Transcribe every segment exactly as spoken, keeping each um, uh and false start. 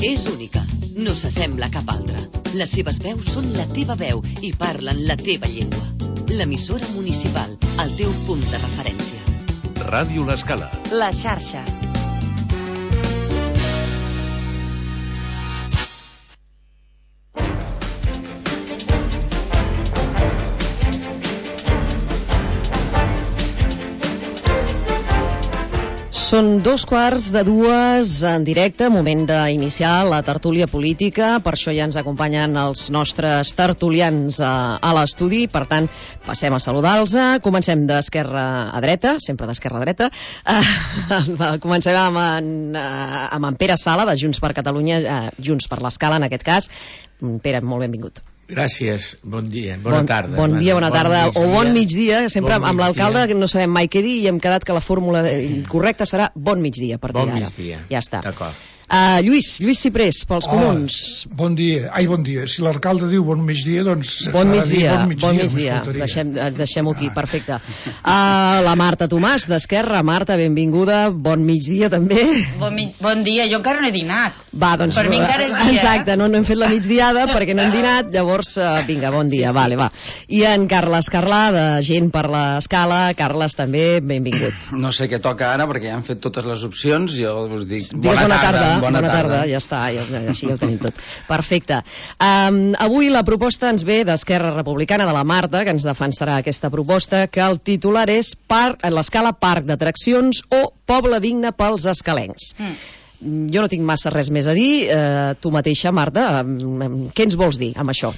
És única, no s'assembla a cap altra. Les seves veus són la teva veu i parlen la teva llengua. L'emissora municipal, el teu punt de referència. Ràdio L'Escala. La xarxa. Són dos quarts de dues en directe, moment d'iniciar la tertúlia política, per això ja ens acompanyen els nostres tertulians a, a l'estudi, per tant, passem a saludar-los. Comencem d'esquerra a dreta, sempre d'esquerra a dreta. Uh, comencem amb en, uh, amb en Pere Sala, de Junts per Catalunya, uh, Junts per l'Escala, en aquest cas. Pere, molt benvingut. Gràcies, bon dia, bona bon, tarda. Bon dia, bona tarda, bon o bon migdia, sempre bon amb l'alcalde no sabem mai què dir i hem quedat que la fórmula correcta serà bon migdia a partir bon d'ara. Migdia. Ja està. D'acord. Uh, Lluís, Lluís Ciprés, pels comuns. Oh, bon dia, ai bon dia, si l'alcalde diu bon migdia, doncs bon migdia, bon migdia, bon migdia. Deixem, deixem-ho aquí, perfecte. Uh, la Marta Tomàs, d'Esquerra. Marta, benvinguda, bon migdia també. Bon, mi bon dia, jo encara no he dinat. Va, doncs, per mi encara és dia. Exacte, no, no hem fet la migdiada perquè no hem dinat, llavors, uh, vinga, bon dia, sí, sí. Vale, va. I en Carles Carlà, de Gent per l'Escala. Carles, també, benvingut. No sé què toca ara perquè ja han fet totes les opcions, jo us dic bona, bona tarda, tarda, bona, bona tarda. tarda. Ja està, ja, així ja ho tenim tot. Perfecte. Um, avui la proposta ens ve d'Esquerra Republicana, de la Marta, que ens defensarà aquesta proposta, que el titular és l'Escala Parc d'Atraccions o Poble Digne pels escalencs. Mm. Jo no tinc massa res més a dir. Uh, tu mateixa, Marta, um, què ens vols dir amb això?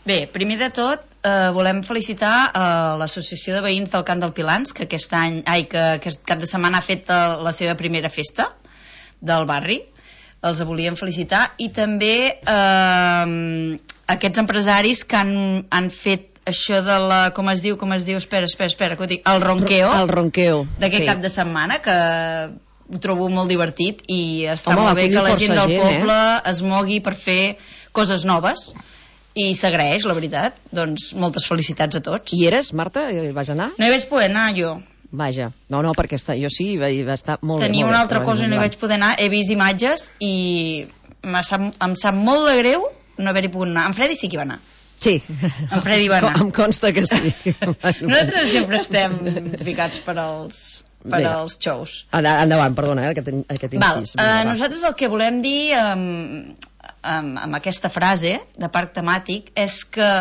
Bé, primer de tot, eh, volem felicitar eh, l'Associació de Veïns del Camp del Pilans, que aquest any, ai, que aquest cap de setmana ha fet eh, la seva primera festa del barri. Els volíem felicitar, i també eh, aquests empresaris que han, han fet això de la, com es diu, com es diu, espera, espera, espera, que ho dic, el ronqueo, el ronqueo d'aquest sí. cap de setmana, que ho trobo molt divertit i està Home, molt bé que la gent del gent, poble eh? es mogui per fer coses noves, i s'agraeix, la veritat. Doncs moltes felicitats a tots. I eres, Marta? Vas anar? No hi vaig poder anar, jo. Vaja, no, no, perquè està, jo sí, va, va estar molt Tenia bé. Tenia una altra cosa i no hi vaig poder anar, he vist imatges i sap, em sap molt de greu no haver-hi pogut anar. En Freddy sí que hi va anar. Sí, en Freddy va anar. Em consta que sí. Nosaltres sempre estem ficats per als, per Bé. als shows. Endavant, perdona, eh, aquest, aquest incís. Val, uh, nosaltres el que volem dir um, amb, amb aquesta frase de parc temàtic és que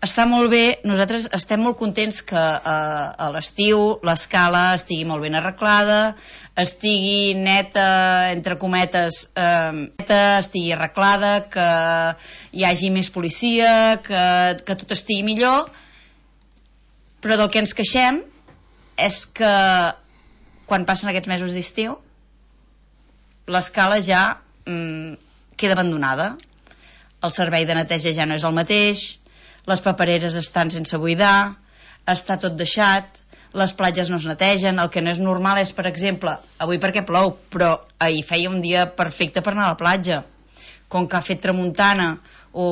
està molt bé, nosaltres estem molt contents que uh, a l'estiu l'Escala estigui molt ben arreglada, estigui neta, entre cometes, uh, neta, estigui arreglada, que hi hagi més policia, que, que tot estigui millor, però del que ens queixem és que quan passen aquests mesos d'estiu l'Escala ja um, queda abandonada, el servei de neteja ja no és el mateix, les papereres estan sense buidar, està tot deixat, les platges no es netegen. El que no és normal és, per exemple, avui perquè plou, però ahir feia un dia perfecte per anar a la platja. Com que ha fet tramuntana o,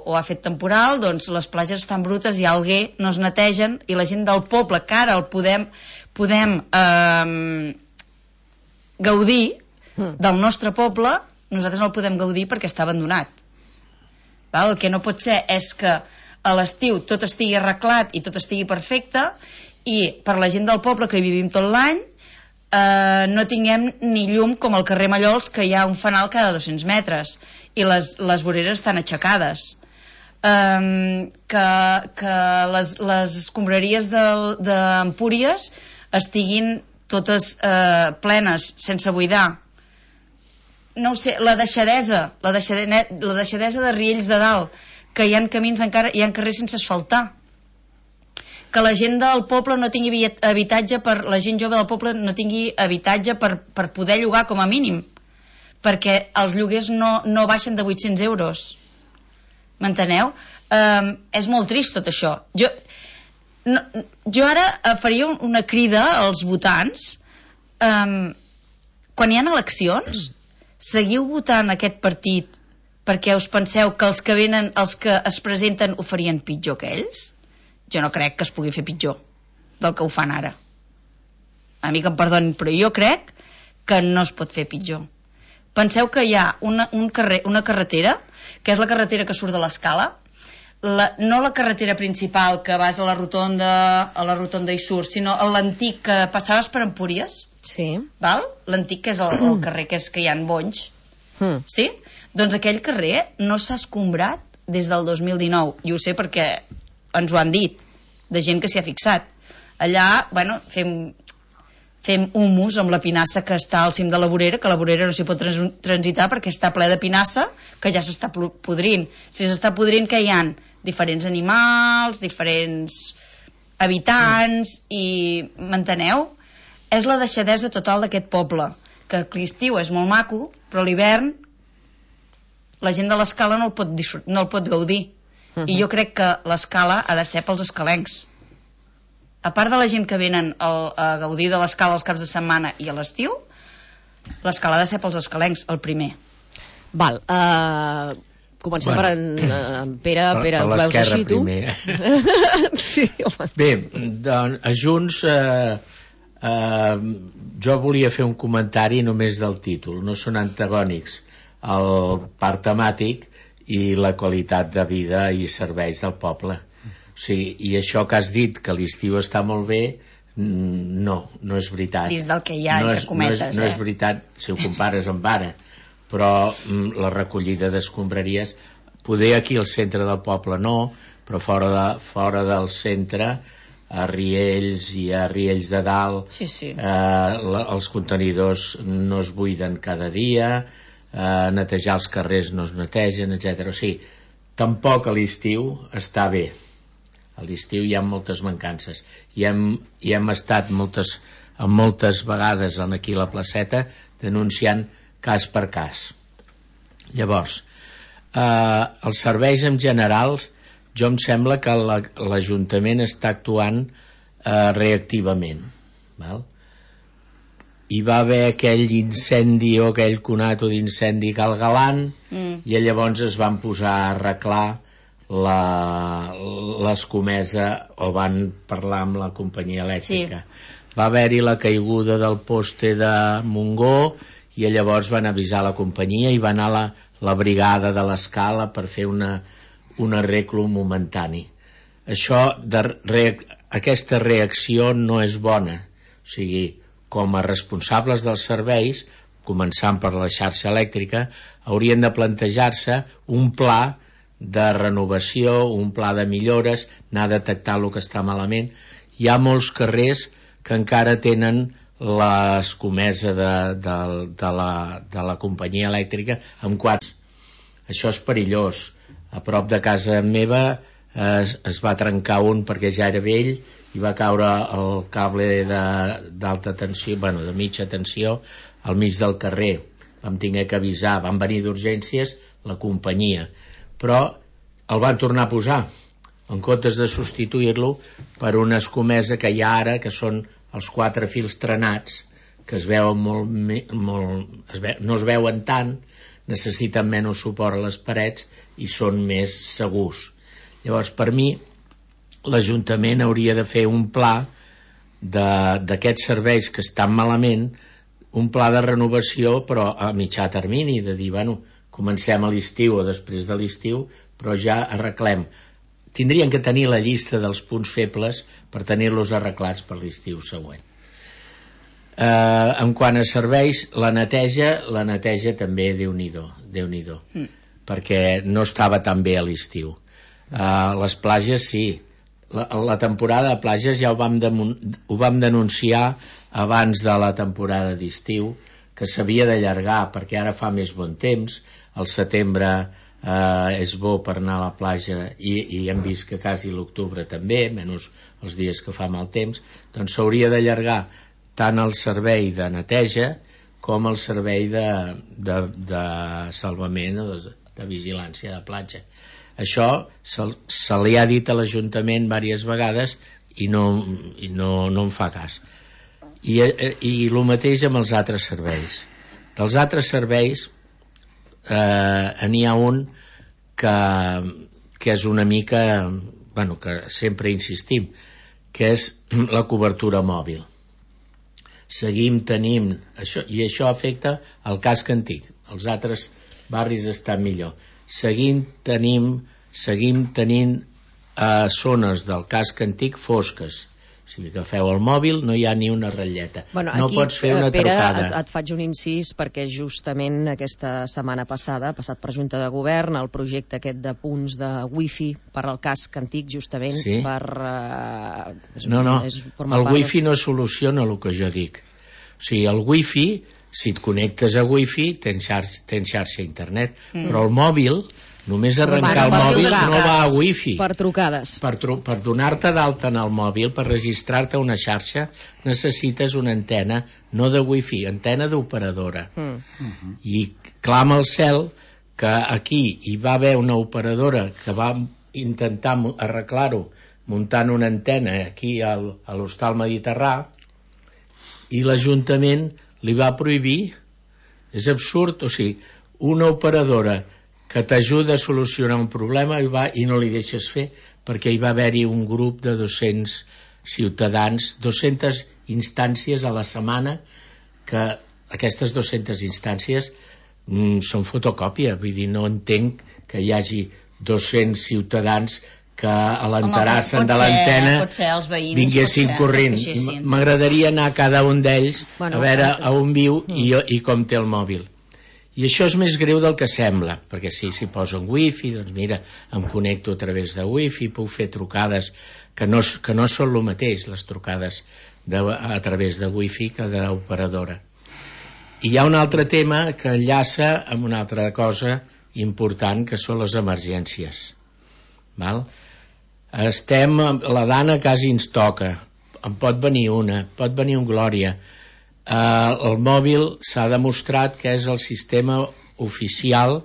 o ha fet temporal, doncs les platges estan brutes, hi ha alguer, no es netegen, i la gent del poble, que ara el podem, podem eh, gaudir del nostre poble, nosaltres no el podem gaudir perquè està abandonat. Val? El que no pot ser és que a l'estiu tot estigui arreglat i tot estigui perfecte, i per la gent del poble que hi vivim tot l'any eh, no tinguem ni llum, com al carrer Mallols, que hi ha un fanal cada dos-cents metres i les, les voreres estan aixecades, eh, que, que les, les escombraries d'Empúries estiguin totes eh, plenes, sense buidar. No ho sé, la deixadesa la deixadesa, la deixadesa de Riells de Dalt, que hi ha camins encara, hi ha carrers sense asfaltar, que la gent del poble no tingui habitatge per, la gent jove del poble no tingui habitatge per, per poder llogar com a mínim, perquè els lloguers no, no baixen de vuit-cents euros. M'enteneu? Um, és molt trist tot això. Jo, no, jo ara faria una crida als votants, um, quan hi ha eleccions, seguiu votant aquest partit perquè us penseu que els que venen, els que es presenten ho farien pitjor que ells? Jo no crec que es pugui fer pitjor del que ho fan ara. A mi que em perdonin, però jo crec que no es pot fer pitjor. Penseu que hi ha una, un carrer, una carretera, que és la carretera que surt de l'Escala, la, no la carretera principal que vas a la rotonda, a la rotonda i surt, sinó l'antic que passaves per Empúries. Sí. Val? L'antic que és el, el carrer que és que hi ha bonys. Mm. Sí? Doncs aquell carrer no s'ha escombrat des del dos mil dinou, i ho sé perquè ens ho han dit, de gent que s'hi ha fixat. Allà, bueno, fem, fem humus amb la pinassa que està al cim de la vorera, que la vorera no s'hi pot trans transitar perquè està ple de pinassa, que ja s'està podrint. Si s'està podrint, que hi ha diferents animals, diferents habitants, i m'enteneu? És la deixadesa total d'aquest poble, que l'estiu és molt maco, però l'hivern la gent de l'Escala no el pot, no el pot gaudir. Uh-huh. I jo crec que l'Escala ha de ser pels escalencs. A part de la gent que venen al, a gaudir de l'Escala els caps de setmana i a l'estiu, l'Escala ha de ser pels escalencs, el primer. Val, uh, comencem bueno, per en, uh, en Pere. Per, Pere, per veus així, tu? Sí, home. Bé, doncs, a Junts eh, eh, jo volia fer un comentari només del títol. No són antagònics el parc temàtic i la qualitat de vida i serveis del poble. O sigui, i això que has dit, que l'estiu està molt bé, no, no és veritat. Dins del que hi ha, no entre és, cometes, no és, no és veritat si ho compares amb ara, però mm, la recollida d'escombraries, poder aquí al centre del poble no, però fora, de, fora del centre, a Riells i a Riells de Dalt, sí, sí. Eh, la, els contenidors no es buiden cada dia, eh, netejar els carrers no es netegen, etcètera. O sigui, tampoc a l'estiu està bé. A l'estiu hi ha moltes mancances. I hem, i hem estat moltes, moltes vegades aquí a la placeta denunciant cas per cas. Llavors, eh, els serveis en generals, jo em sembla que l'Ajuntament està actuant eh, reactivament. Val? Hi va haver aquell incendi o aquell conato d'incendi Cal Galant, mm. i llavors es van posar a arreglar l'escomesa, o van parlar amb la companyia elèctrica. Sí. Va haver-hi la caiguda del poste de Montgó i llavors van avisar la companyia i va anar la, la brigada de l'Escala per fer una, un arreglo momentani. Això de reac aquesta reacció no és bona. O sigui, com a responsables dels serveis, començant per la xarxa elèctrica, haurien de plantejar-se un pla de renovació, un pla de millores, anar detectant el que està malament. Hi ha molts carrers que encara tenen l'escomesa de, de, de, la, de la companyia elèctrica amb quadres. Això és perillós. A prop de casa meva es, es va trencar un perquè ja era vell i va caure el cable d'alta tensió, bueno, de mitja tensió, al mig del carrer. Vam haver que avisar, van venir d'urgències la companyia, però el van tornar a posar, en comptes de substituir-lo per una escomesa que hi ha ara, que són els quatre fils trenats, que es veuen molt, molt es ve, no es veuen tant, necessiten menys suport a les parets i són més segurs. Llavors, per mi, l'Ajuntament hauria de fer un pla d'aquests serveis que estan malament, un pla de renovació, però a mitjà termini, de dir, bueno, comencem a l'estiu o després de l'estiu, però ja arreglem. Tindrien que tenir la llista dels punts febles per tenir-los arreglats per l'estiu següent. Eh, en quant a serveis, la neteja, la neteja també, Déu-n'hi-do, Déu-n'hi-do, mm. perquè no estava tan bé a l'estiu. Eh, les platges, sí. La, la temporada de platges ja ho vam, de, ho vam denunciar abans de la temporada d'estiu, que s'havia d'allargar perquè ara fa més bon temps, al setembre eh, és bo per anar a la platja i, i hem vist que quasi l'octubre també, menys els dies que fa mal temps, doncs s'hauria d'allargar tant el servei de neteja com el servei de, de, de salvament o de, de vigilància de platja. Això se, se li ha dit a l'Ajuntament diverses vegades i no, i no, no en fa cas. I, i el mateix amb els altres serveis. Dels altres serveis eh, n'hi ha un que, que és una mica, bueno, que sempre insistim, que és la cobertura mòbil. seguim tenint això, i això afecta el casc antic. Els altres barris estan millor. Seguim tenim, seguim tenint eh, zones del casc antic fosques. Si agafeu el mòbil no hi ha ni una ratlleta. Bueno, no aquí, pots fer una Pere, trucada. Et, et faig un incís perquè justament aquesta setmana passada ha passat per Junta de Govern el projecte aquest de punts de wifi per al casc antic, justament sí? per... Uh, és, no, no, és el wifi no soluciona el que jo dic. O sigui, el wifi, si et connectes a wifi, tens xarxa, tens xarxa a internet, mm. però el mòbil... Només arrencar el mòbil no va a wifi. Per trucades. Per, tru per donar-te d'alta en el mòbil, per registrar-te a una xarxa, necessites una antena, no de wifi, antena d'operadora. Mm. Uh-huh. I clama al cel que aquí hi va haver una operadora que va intentar arreglar-ho muntant una antena aquí al, a l'Hostal Mediterrà i l'Ajuntament li va prohibir. És absurd, o sigui, una operadora que t'ajuda a solucionar un problema i, va, i no li deixes fer perquè hi va haver-hi un grup de dos-cents ciutadans, dues-centes instàncies a la setmana, que aquestes dues-centes instàncies mm, són fotocòpia, vull dir, no entenc que hi hagi dos-cents ciutadans que a l'enterassen de l'antena vinguessin corrent. M'agradaria anar a cada un d'ells bueno, a veure a on viu mm. i, i com té el mòbil. I això és més greu del que sembla, perquè si s'hi posen wifi, doncs mira, em connecto a través de wifi, puc fer trucades que no, que no són el mateix, les trucades de, a través de wifi que d'operadora. I hi ha un altre tema que enllaça amb una altra cosa important, que són les emergències. Val? Estem, la Dana quasi ens toca, en pot venir una, pot venir un Glòria. Uh, el mòbil s'ha demostrat que és el sistema oficial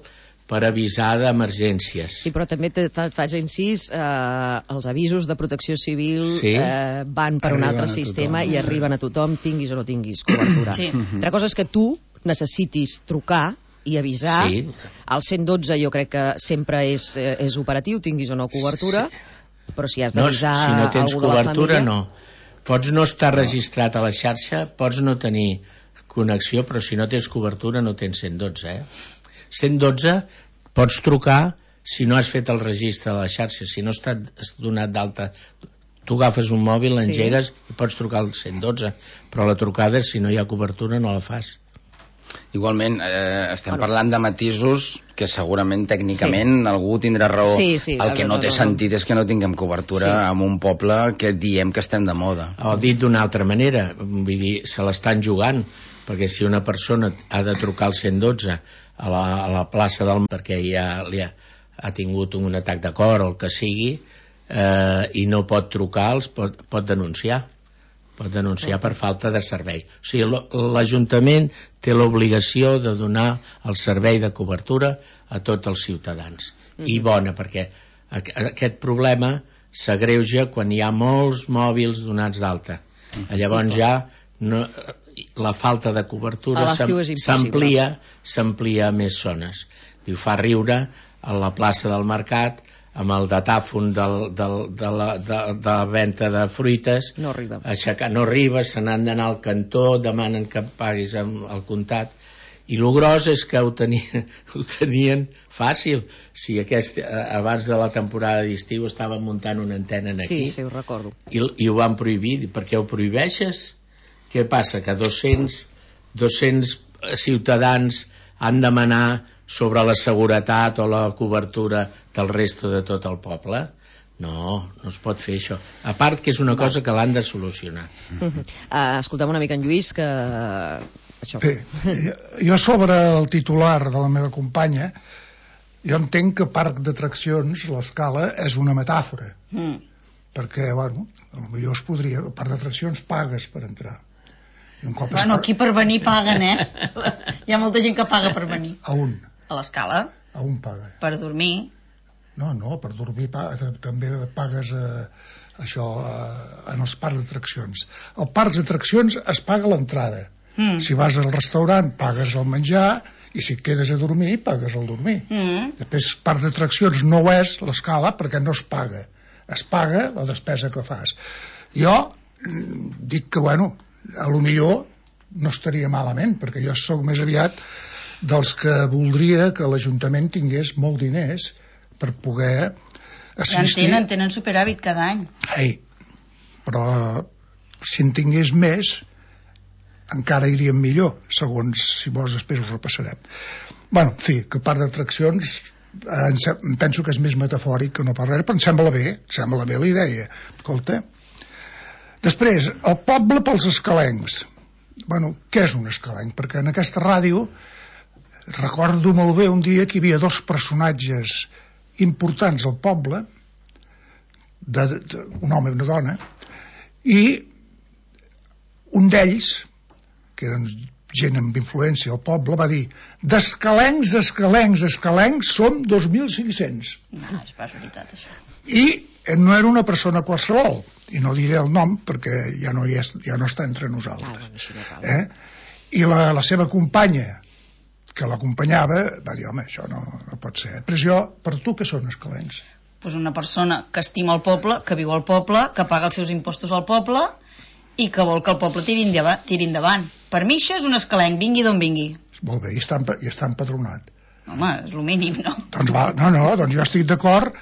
per avisar d'emergències. Sí, però també te faig incís, eh, els avisos de protecció civil sí? eh, van per arriben un altre sistema i arriben a tothom, tinguis o no tinguis cobertura. Sí. Altra cosa és que tu necessitis trucar i avisar. Sí. El cent dotze jo crec que sempre és, és operatiu, tinguis o no cobertura, sí. però si has d'avisar no, si no tens algú cobertura, de la família... no. Pots no estar registrat a la xarxa, pots no tenir connexió, però si no tens cobertura no tens cent dotze. Eh? cent dotze pots trucar si no has fet el registre a la xarxa, si no has donat d'alta. Tu agafes un mòbil, l'engegues sí. i pots trucar al cent dotze, però la trucada, si no hi ha cobertura, no la fas. Igualment, eh, estem bueno. parlant de matisos que segurament tècnicament sí. algú tindrà raó. Sí, sí, el que no té sentit és que no tinguem cobertura sí. en un poble que diem que estem de moda. O dit d'una altra manera, vull dir, se l'estan jugant, perquè si una persona ha de trucar al cent dotze a la, a la plaça del... perquè ja li ha, ha tingut un atac de cor o el que sigui, eh, i no pot trucar, els pot, pot denunciar. pot denunciar per falta de servei. O sigui, l'Ajuntament té l'obligació de donar el servei de cobertura a tots els ciutadans. Mm-hmm. I bona, perquè aquest problema s'agreuja quan hi ha molts mòbils donats d'alta. Mm-hmm. Llavors sí, ja no, la falta de cobertura s'amplia s'amplia a més zones. Diu, fa riure a la plaça del Mercat amb el datàfon del, del, de, la, de, de la venda de fruites, no arriba, aixecar, no arriba, se n'han d'anar al cantó, demanen que paguis amb el comptat, i el gros és que ho tenien, ho tenien fàcil. Si aquest, abans de la temporada d'estiu estaven muntant una antena aquí, sí, sí, ho recordo, i, i ho van prohibir. Per què ho prohibeixes? Què passa? Que dos-cents ciutadans han demanar sobre la seguretat o la cobertura del resto de tot el poble? No, no es pot fer això. A part que és una cosa que l'han de solucionar. Uh-huh. uh, Escoltem una mica en Lluís que... Això. Bé, jo sobre el titular de la meva companya, jo entenc que parc d'atraccions, l'Escala, és una metàfora. Mm. Perquè, bueno, potser es podria... El parc d'atraccions pagues per entrar. Un cop bueno, aquí per venir paguen, eh? Hi ha molta gent que paga per venir. A un? A l'Escala. A un paga. Per dormir. No, no, per dormir paga, també pagues eh, això eh, en els parcs d'atraccions. Al parc d'atraccions es paga l'entrada. Mm. Si vas al restaurant pagues el menjar i si et quedes a dormir pagues el dormir. Mm. Després parc d'atraccions no ho és l'Escala perquè no es paga. Es paga la despesa que fas. Jo dic que, bueno, a lo millor no estaria malament, perquè jo sóc més aviat dels que voldria que l'Ajuntament tingués molt diners per poder assistir... Ja en tenen, tenen superàvit cada any. Ei, però si en tingués més encara iríem millor, segons, si vols, després ho repassarem. Bueno, en fi, que part d'atraccions em penso que és més metafòric que no per res, però em sembla bé, em sembla bé la idea. Escolta. Després, el poble pels escalencs. Bueno, què és un escalenc? Perquè en aquesta ràdio recordo molt bé un dia que hi havia dos personatges importants al poble, de, de, un home i una dona, i un d'ells, que eren gent amb influència al poble, va dir: d'escalencs, escalencs, escalencs som dos mil cinc-cents. No, és pas veritat, això. I no era una persona qualsevol, i no diré el nom perquè ja no, hi és, ja no està entre nosaltres. Eh? I la, la seva companya, que l'acompanyava, va dir: home, això no, no pot ser. Però jo, per tu, què són escalencs? Pues una persona que estima el poble, que viu al poble, que paga els seus impostos al poble i que vol que el poble tiri endavant. Tiri endavant. Per mi això és un escalenc, vingui d'on vingui. Molt bé, i està, i està empadronat. Home, és el mínim, no? Doncs va, no, no, doncs jo estic d'acord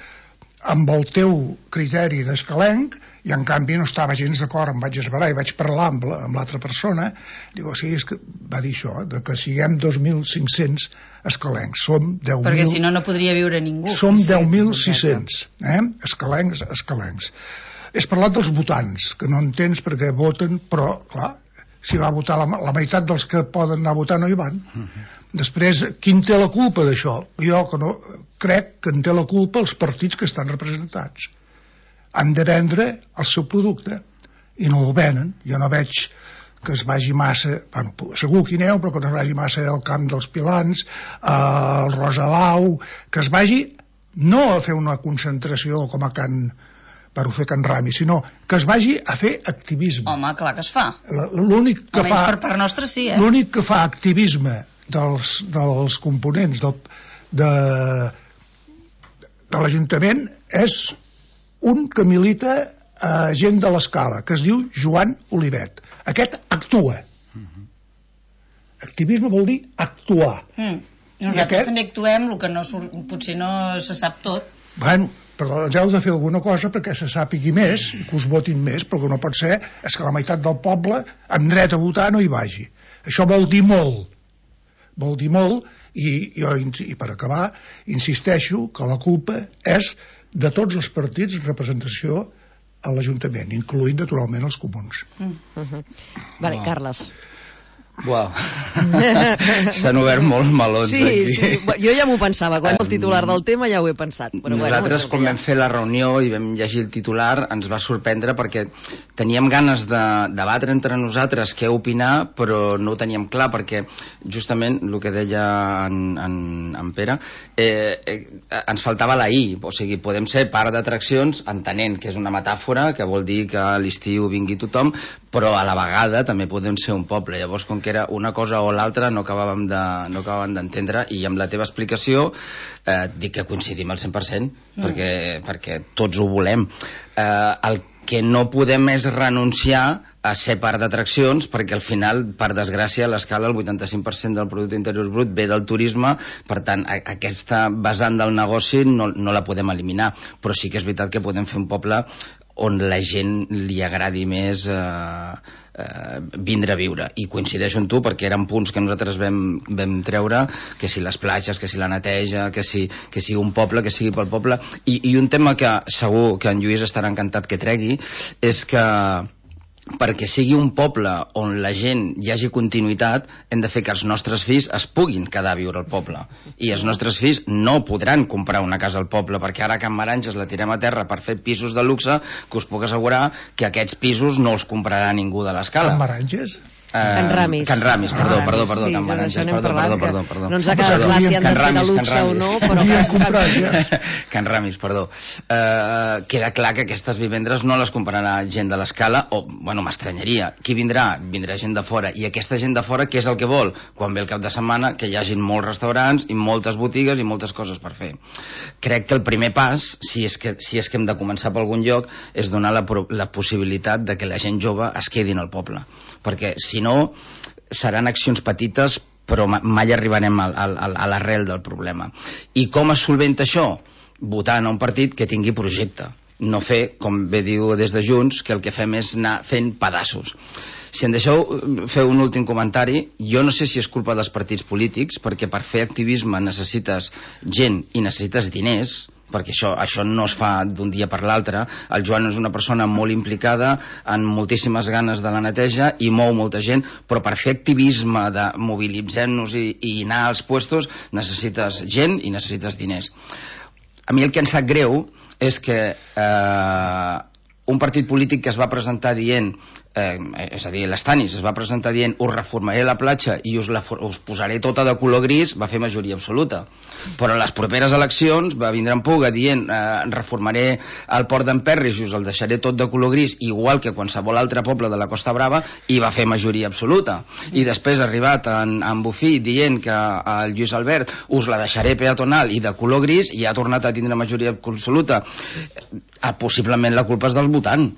amb el teu criteri d'escalenc, i en canvi no estava gens d'acord, em vaig esverar i vaig parlar amb, la, amb l'altra persona. Digo, sí, és que va dir això, de que siguem dos mil cinc-cents escalencs, som deu mil... Perquè si no, no podria viure ningú. Som deu mil sis-cents, eh? Escalencs, escalencs. Has parlat dels votants, que no entens perquè voten, però, clar, si va votar la, la meitat dels que poden anar a votar no hi van. Uh-huh. Després, qui en té la culpa d'això? Jo que no, crec que en té la culpa els partits que estan representats. Han de vendre el seu producte i no el venen. Jo no veig que es vagi massa, bueno, segur que hi aneu, però que no es vagi massa al Camp dels Pilans, al Rosalau, que es vagi no a fer una concentració com a Can... per ho fer Can Rami, sinó que es vagi a fer activisme. Home, clar que es fa. L'únic que fa... per part nostra sí, eh? L'únic que fa activisme dels, dels components del, de, de l'Ajuntament és un que milita a gent de l'Escala, que es diu Joan Olivet. Aquest actua. Uh-huh. Activisme vol dir actuar. Mm. Nosaltres aquest... també actuem, el que no, potser no se sap tot. Bueno, però ens heu de fer alguna cosa perquè se sàpigui més, que us votin més, però que no pot ser és que la meitat del poble amb dret a votar no hi vagi. Això vol dir molt, vol dir molt, i jo, i per acabar, insisteixo que la culpa és de tots els partits en representació a l'Ajuntament, incloït naturalment els comuns. Mm. Uh-huh. Vale, oh. Carles. Uau, s'han obert molts melons sí, aquí. Sí, jo ja m'ho pensava, quan um, el titular del tema ja ho he pensat. Però nosaltres, bueno, quan vam fer la reunió i vam llegir el titular, ens va sorprendre perquè teníem ganes de debatre entre nosaltres què opinar, però no ho teníem clar, perquè justament el que deia en, en, en Pere, eh, eh, ens faltava la I, o sigui, podem ser part d'atraccions entenent que és una metàfora, que vol dir que a l'estiu vingui tothom, però a la vegada també podem ser un poble. Llavors, com que era una cosa o l'altra, no acabàvem de, no acabàvem d'entendre, i amb la teva explicació eh, dic que coincidim al cent per cent, mm. perquè, perquè tots ho volem. Eh, el que no podem és renunciar a ser part d'atraccions, perquè al final, per desgràcia, a l'escala el vuitanta-cinc per cent del producte interior brut ve del turisme, per tant, a, aquesta vessant del negoci no, no la podem eliminar, però sí que és veritat que podem fer un poble on la gent li agradi més eh, eh, vindre a viure. I coincideixo amb tu perquè eren punts que nosaltres vam, vam treure, que si les platges, que si la neteja, que si, que sigui un poble, que sigui pel poble. I, i un tema que segur que en Lluís estarà encantat que tregui és que perquè sigui un poble on la gent hi hagi continuïtat, hem de fer que els nostres fills es puguin quedar a viure al poble. I els nostres fills no podran comprar una casa al poble, perquè ara a Can Maranges la tirem a terra per fer pisos de luxe, que us puc assegurar que aquests pisos no els comprarà ningú de l'Escala. Can Maranges? Can Ramis. Can Ramis, perdó, perdó, perdó, sí, Can Ramis, perdó, perdó, perdó, perdó. No ens ha quedat clar si han de ser de luxe o no, però... Can Ramis, perdó. Uh, queda clar que aquestes vivendres no les comprarà gent de l'Escala, o, bueno, m'estranyaria. Qui vindrà? Vindrà gent de fora. I aquesta gent de fora, què és el que vol? Quan ve el cap de setmana, que hi hagin molts restaurants i moltes botigues i moltes coses per fer. Crec que el primer pas, si és que, si és que hem de començar per algun lloc, és donar la, la possibilitat de que la gent jove es quedin al poble. Perquè si no seran accions petites però mai arribarem al, al, a l'arrel del problema. I com es solventa això? Votant a un partit que tingui projecte, no fer, com bé diu des de Junts, que el que fem és anar fent pedaços. Si em deixeu fer un últim comentari, jo no sé si és culpa dels partits polítics, perquè per fer activisme necessites gent i necessites diners, perquè això, això no es fa d'un dia per l'altre. El Joan és una persona molt implicada, amb moltíssimes ganes de la neteja i mou molta gent, però per fer activisme de mobilitzem-nos i, i anar als puestos necessites gent i necessites diners. A mi el que em sap greu és que eh, un partit polític que es va presentar dient Eh, és a dir, l'Estanis es va presentar dient us reformaré la platja i us, la, us posaré tota de color gris, va fer majoria absoluta, però a les properes eleccions va vindre en Puga dient eh, reformaré el port d'Emperris i us el deixaré tot de color gris, igual que qualsevol altre poble de la Costa Brava, i va fer majoria absoluta. I després ha arribat en, en Bufí dient que el Lluís Albert us la deixaré peatonal i de color gris, i ha tornat a tindre majoria absoluta. Eh, possiblement la culpa és del votant.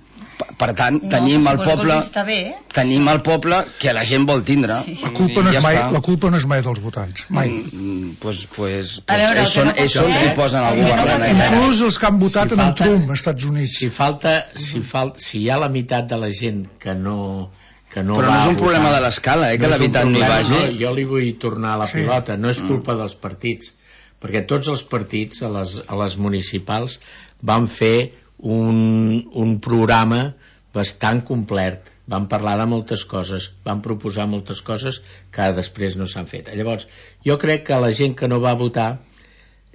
Per tant, no, tenim el poble bé, eh? tenim el poble que la gent vol tindre. Sí. La, culpa no és ja mai, la culpa no és mai dels votants, mai. Mm, pues, pues, a veure, pues, són, ells són qui posen el govern. Inclús els que han votat si en falta, Trump, als Estats Units. Si, falta, si, falta, si hi ha la meitat de la gent que no... Que no però no és un problema votar, de l'escala, eh, que no la veritat no hi vagi. No, jo li vull tornar a la sí. pilota, no és culpa mm. dels partits, perquè tots els partits a les, a les municipals van fer un, un programa bastant complet, van parlar de moltes coses, van proposar moltes coses que després no s'han fet. Llavors, jo crec que la gent que no va votar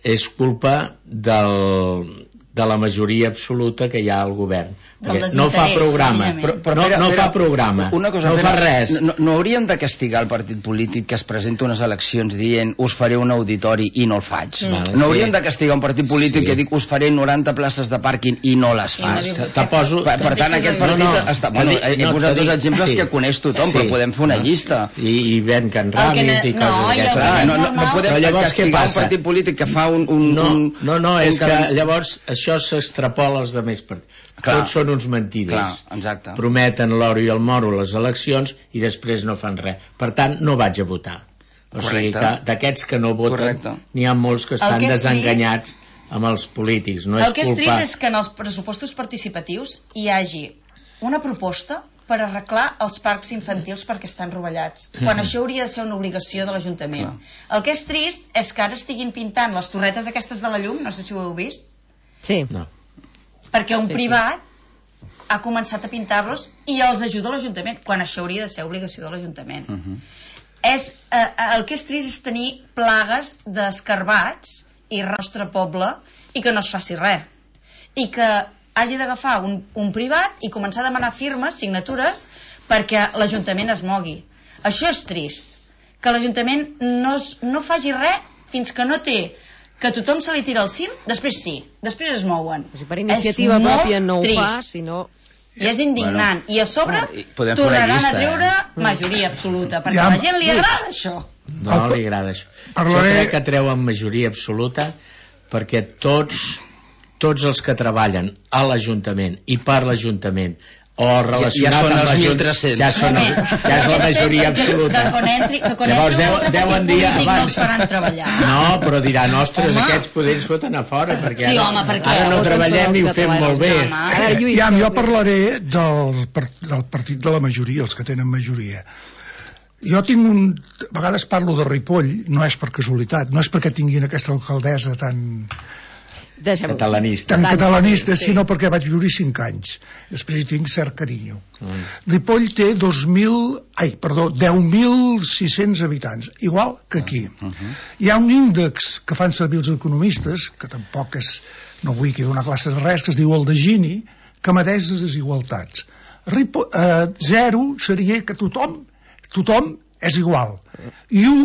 és culpa del, de la majoria absoluta que hi ha al govern. Perquè no fa programa, però, però, no, no fa programa, una cosa, no fa res. No, no hauríem de castigar el partit polític que es presenta unes eleccions dient us faré un auditori i no el faig. Mm. No hauríem sí. de castigar un partit polític sí. que dic us faré noranta places de pàrquing i no les fas. Te poso... Per, per tant, aquest partit... No, no, està, bueno, he no, posat dos exemples sí. que coneix tothom, sí. però podem fer una llista. I, i ven Can Ramis i coses no, d'aquestes. No, no, no podem castigar un partit polític que fa un... un no, un, no, no, un és que llavors això s'extrapola als altres partits. Clar, tots són uns mentiders. Clar, prometen l'oro i el moro a les eleccions i després no fan res. Per tant, no vaig a votar. O Correcte. sigui que d'aquests que no voten n'hi ha molts que estan que desenganyats trist, amb els polítics. No el és que és culpa... trist és que en els pressupostos participatius hi hagi una proposta per arreglar els parcs infantils perquè estan rovellats, quan mm-hmm. això hauria de ser una obligació de l'Ajuntament. El que és trist és que ara estiguin pintant les torretes aquestes de la llum, no sé si ho heu vist. Sí. No. Perquè un sí, privat sí. ha començat a pintar-los i els ajuda l'Ajuntament, quan això hauria de ser obligació de l'Ajuntament. Uh-huh. És, eh, el que és trist és tenir plagues d'escarbats i al nostre poble i que no es faci res. I que hagi d'agafar un, un privat i començar a demanar firmes, signatures, perquè l'Ajuntament es mogui. Això és trist, que l'Ajuntament no, es, no faci res fins que no té que tothom se li tira al cim, després sí, després es mouen. Si per iniciativa pròpia no ho fa, sinó... I és indignant. Bueno, I a sobre bueno, tornaran llista, a treure eh? majoria absoluta, perquè ja, a la gent li agrada això. No li agrada això. Parlaré... Jo crec que treuen majoria absoluta perquè tots, tots els que treballen a l'Ajuntament i per l'Ajuntament o relacionat ja, ja amb l'Ajuntament ja, són, ja és la majoria absoluta. Que quan entri, que quan llavors entri deu, deuen dir abans no els faran treballar. No, però diran, ostres, aquests poders foten a fora perquè sí, ara, home, perquè ara no treballem i ho fem molt bé. A veure, Lluís, ja, jo parlaré del, del partit de la majoria, els que tenen majoria. Jo tinc un... A vegades parlo de Ripoll, no és per casualitat, no és perquè tinguin aquesta alcaldessa tan... catalanista, tan catalanista sí. sinó perquè vaig viure cinc anys, després hi tinc cert carinyo. mm. Ripoll té dos mil, ai, perdó, deu mil sis-cents habitants, igual que aquí. uh-huh. Hi ha un índex que fan servir els economistes, que tampoc és, no vull que donar classes de res, que es diu el de Gini, que medeix les desigualtats. Ripoll, eh, zero seria que tothom tothom és igual. I u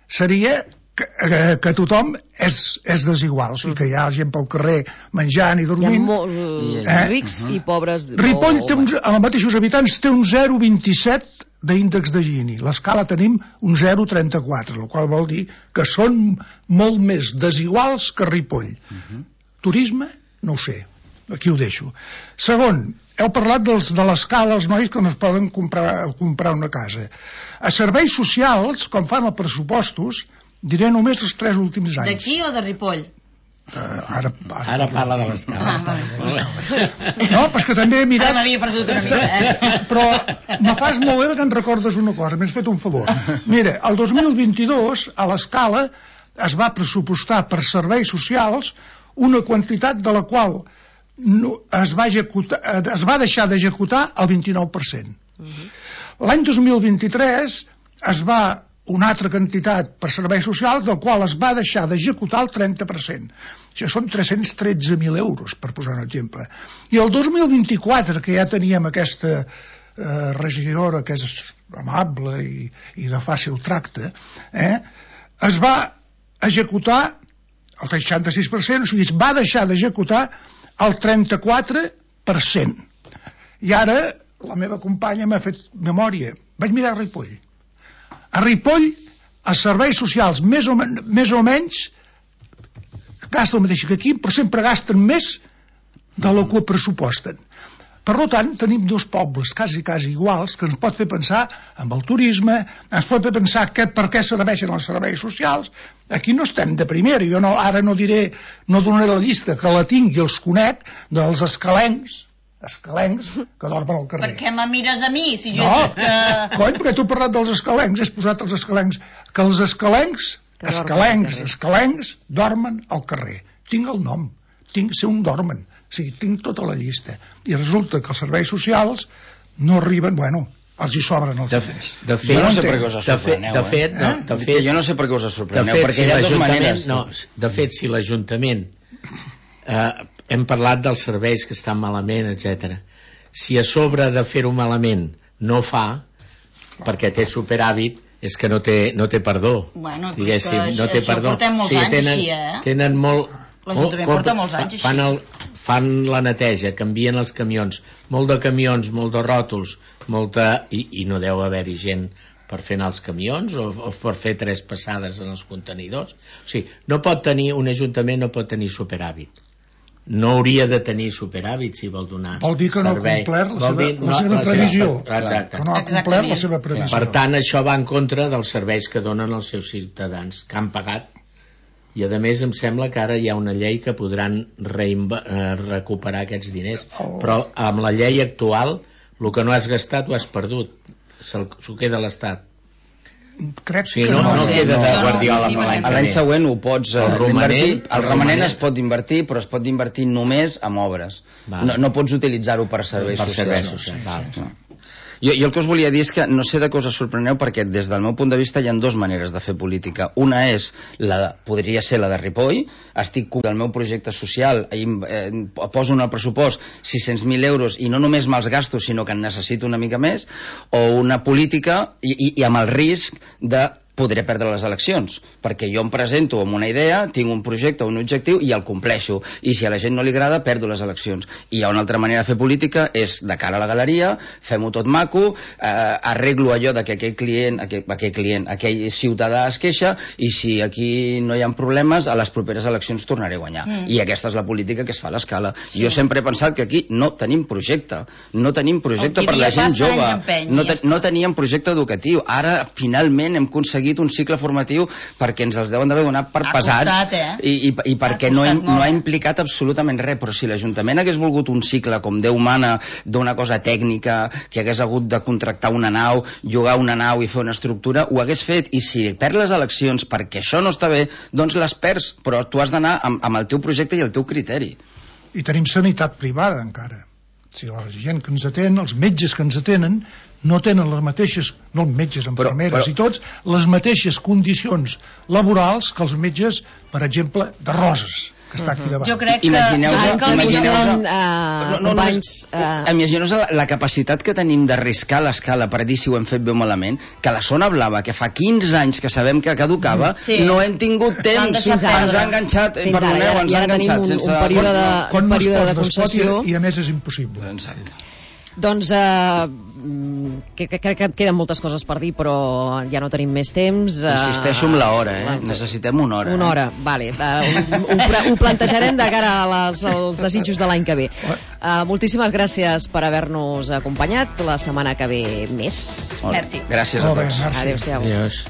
seria que, que, que tothom és, és desigual, o sigui que hi ha gent pel carrer menjant i dormint. Hi ha molt eh? rics uh -huh. i pobres. Ripoll, té uns, amb els mateixos habitants, té un zero coma vint-i-set d'índex de Gini. L'escala tenim un zero coma trenta-quatre, el qual vol dir que són molt més desiguals que Ripoll. Uh -huh. Turisme? No ho sé. Aquí ho deixo. Segon, heu parlat dels, de l'escala als nois que no es poden comprar, comprar una casa. A serveis socials, com fan els pressupostos, diré només els tres últims anys. D'aquí o de Ripoll? Uh, ara, ara, ara parla de l'escala. Ah, vale. No, però és que també he mirat... Ara m'havia perdut una mica, eh? Però me fas molt bé que em recordes una cosa, m'has fet un favor. Mira, el dos mil vint-i-dos, a l'escala, es va pressupostar per serveis socials una quantitat de la qual no, es, va executar, es va deixar d'executar el vint-i-nou per cent. Uh-huh. L'any dos mil vint-i-tres es va una altra quantitat per serveis socials, del qual es va deixar d'executar el trenta per cent. Això són tres-cents tretze mil euros, per posar un exemple. I el dos mil vint-i-quatre, que ja teníem aquesta eh, regidora que és amable i, i de fàcil tracte, eh, es va executar el seixanta-sis per cent, o sigui, es va deixar d'executar el trenta-quatre per cent. I ara la meva companya m'ha fet memòria. Vaig mirar a Ripoll. A Ripoll, els serveis socials més o, men més o menys gasten el mateix que aquí, però sempre gasten més de lo que pressuposten. Per tant, tenim dos pobles quasi, quasi iguals, que ens pot fer pensar en el turisme, ens pot fer pensar que, per què serveixen els serveis socials. Aquí no estem de primera. Jo no, ara no diré, no donaré la llista, que la tinc i els conec, dels escalencs, escalencs que dormen al carrer. Per què me mires a mi? Si jo no, he dit que... cony, perquè tu has parlat dels escalencs, has posat els escalencs, que els escalencs, que escalencs, escalencs, dormen al carrer. Tinc el nom, tinc ser un dormen, o sigui, tinc tota la llista. I resulta que els serveis socials no arriben, bueno, els hi sobren els diners. De fet, jo no sé per què us sorpreneu, de fet, eh? no, de fet, jo no sé per què us sorpreneu, fet, perquè si hi ha dues maneres. No, de fet, si l'Ajuntament eh, hem parlat dels serveis que estan malament, etcètera. Si a sobre de fer-ho malament no fa, perquè té superàvit, és que no té, no té perdó. Bueno, però és que no té això perdó. portem molts sí, anys tenen, així, eh? Tenen molt... L'Ajuntament porta molts anys així. Fan, el, fan la neteja, canvien els camions, molt de camions, molt de ròtols, molta, i, i no deu haver-hi gent per fer anar els camions o, o per fer tres passades en els contenidors. O sigui, no pot tenir, un ajuntament no pot tenir superàvit. No hauria de tenir superàvit si vol donar servei. Vol dir que no ha complert la seva, dir, la seva no, previsió. La seva, exacte. Que no ha complert la seva previsió. Per tant, això va en contra dels serveis que donen els seus ciutadans, que han pagat. I a més em sembla que ara hi ha una llei que podran recuperar aquests diners. Oh. Però amb la llei actual, el que no has gastat ho has perdut. S'ho queda l'Estat. Crec sí, que no, no, no sé, queda de no, Guardiola no, no, l'any següent ho pots eh, el romanent, invertir, el romanent es pot invertir, però es pot invertir només en obres. No, no pots utilitzar-ho per serveis per socials. Serveis socials. No. Sí, sí. No. Jo, jo el que us volia dir és que no sé de què us sorpreneu, perquè des del meu punt de vista hi ha dues maneres de fer política. Una és, la de, podria ser la de Ripoll, estic del meu projecte social, eh, poso en el pressupost sis-cents mil euros i no només me'ls gasto, sinó que en necessito una mica més, o una política i, i, i amb el risc de podré perdre les eleccions, perquè jo em presento amb una idea, tinc un projecte, un objectiu i el compleixo, i si a la gent no li agrada perdo les eleccions. I hi ha una altra manera de fer política, és de cara a la galeria, fem-ho tot maco, eh, arreglo allò de que aquell client, aquell, aquell client, aquell ciutadà es queixa, i si aquí no hi ha problemes, a les properes eleccions tornaré a guanyar. Mm. I aquesta és la política que es fa a l'escala. Sí. Jo sempre he pensat que aquí no tenim projecte, no tenim projecte per la gent jove, no, te, no teníem projecte educatiu. Ara finalment hem aconseguit un cicle formatiu perquè ens els deuen d'haver donat per ha pesats costat, eh? i, i, i perquè no, hem, no ha implicat absolutament res, però si l'Ajuntament hagués volgut un cicle com Déu mana d'una cosa tècnica, que hagués hagut de contractar una nau, llogar una nau i fer una estructura, ho hagués fet, i si perds les eleccions perquè això no està bé, doncs les perds, però tu has d'anar amb, amb el teu projecte i el teu criteri. I tenim sanitat privada encara. O sigui, la gent que ens atén, els metges que ens atenen, no tenen les mateixes, no els metges, infermeres i tots, les mateixes condicions laborals que els metges, per exemple, de Roses. que està aquí davant. Jo crec que... Imagineu-vos imagineu companys... Imagineu-vos la, la capacitat que tenim d'arriscar l'escala per dir si ho hem fet bé o malament, que la zona blava, que fa quinze anys que sabem que caducava, sí. no hem tingut temps, ens ha enganxat, fins perdoneu, ara, ens ha enganxat un, sense... un període de, quan no es període pot, de concessió... i a més és impossible. Exacte. Doncs eh, crec que, que queden moltes coses per dir, però ja no tenim més temps. Eh, Insisteixo amb l'hora, eh? Necessitem una hora. Una hora, eh? Vale. Eh, ho, ho, ho plantejarem de cara a les, als desitjos de l'any que ve. Eh, moltíssimes gràcies per haver-nos acompanyat. La setmana que ve més. Gràcies a tots. Adéu-siau. Adiós.